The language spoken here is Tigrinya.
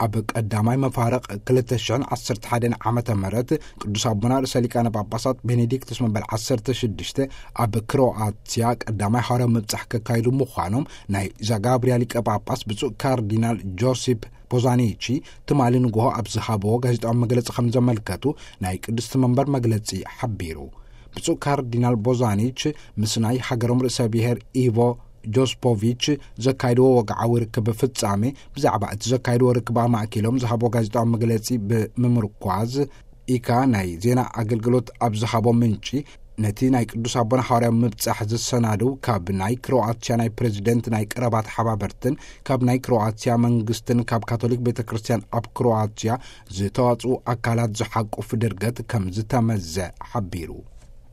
ኣብ ቀዳማይ መፋርቕ ክልተ ሽሕን ዓሰርተ ሓደን ዓመተ ምህረት ቅዱስ ኣቦና ርእሰ ሊቃነ ጳጳሳት ቤኔዲክቱስ መበል ዓሰርተ ሽዱሽተ ኣብ ክሮኣትያ ቀዳማይ ሃዋርያዊ ምብጻሕ ከካይዱ ምዃኖም ናይ ዛጋብርያ ሊቀ ጳጳስ ብፁዕ ካርዲናል ጆሲፕ ፖዛኒቺ ትማሊ ንግሆ ኣብ ዝሃብዎ ጋዜጣዊ መግለጺ ከም ዘመልከቱ ናይ ቅድስቲ መንበር መግለጺ ሓቢሩ። ብፁዕ ካርዲናል ቦዛኒች ምስ ናይ ሃገሮም ርእሰ ብሔር ኢቮ ጆስፖቪች ዘካይድዎ ወግዓዊ ርክብ ፍጻሜ ብዛዕባ እቲ ዘካይድዎ ርክብ ኣማእኪሎም ዝሃብዎ ጋዜጣዊ መግለጺ ብምምርኳዝ ኢካ ናይ ዜና ኣገልግሎት ኣብ ዝሃቦ ምንጪ ነቲ ናይ ቅዱስ ኣቦና ሓዋርያዊ ምብጻሕ ዝሰናድው ካብ ናይ ክሮኣትያ ናይ ፕሬዚደንት ናይ ቀረባ ተሓባበርትን ካብ ናይ ክሮኣትያ መንግስትን ካብ ካቶሊክ ቤተ ክርስቲያን ኣብ ክሮኣትያ ዝተዋጽኡ ኣካላት ዝሓቁፍ ድርገት ከም ዝተመዘ ሓቢሩ።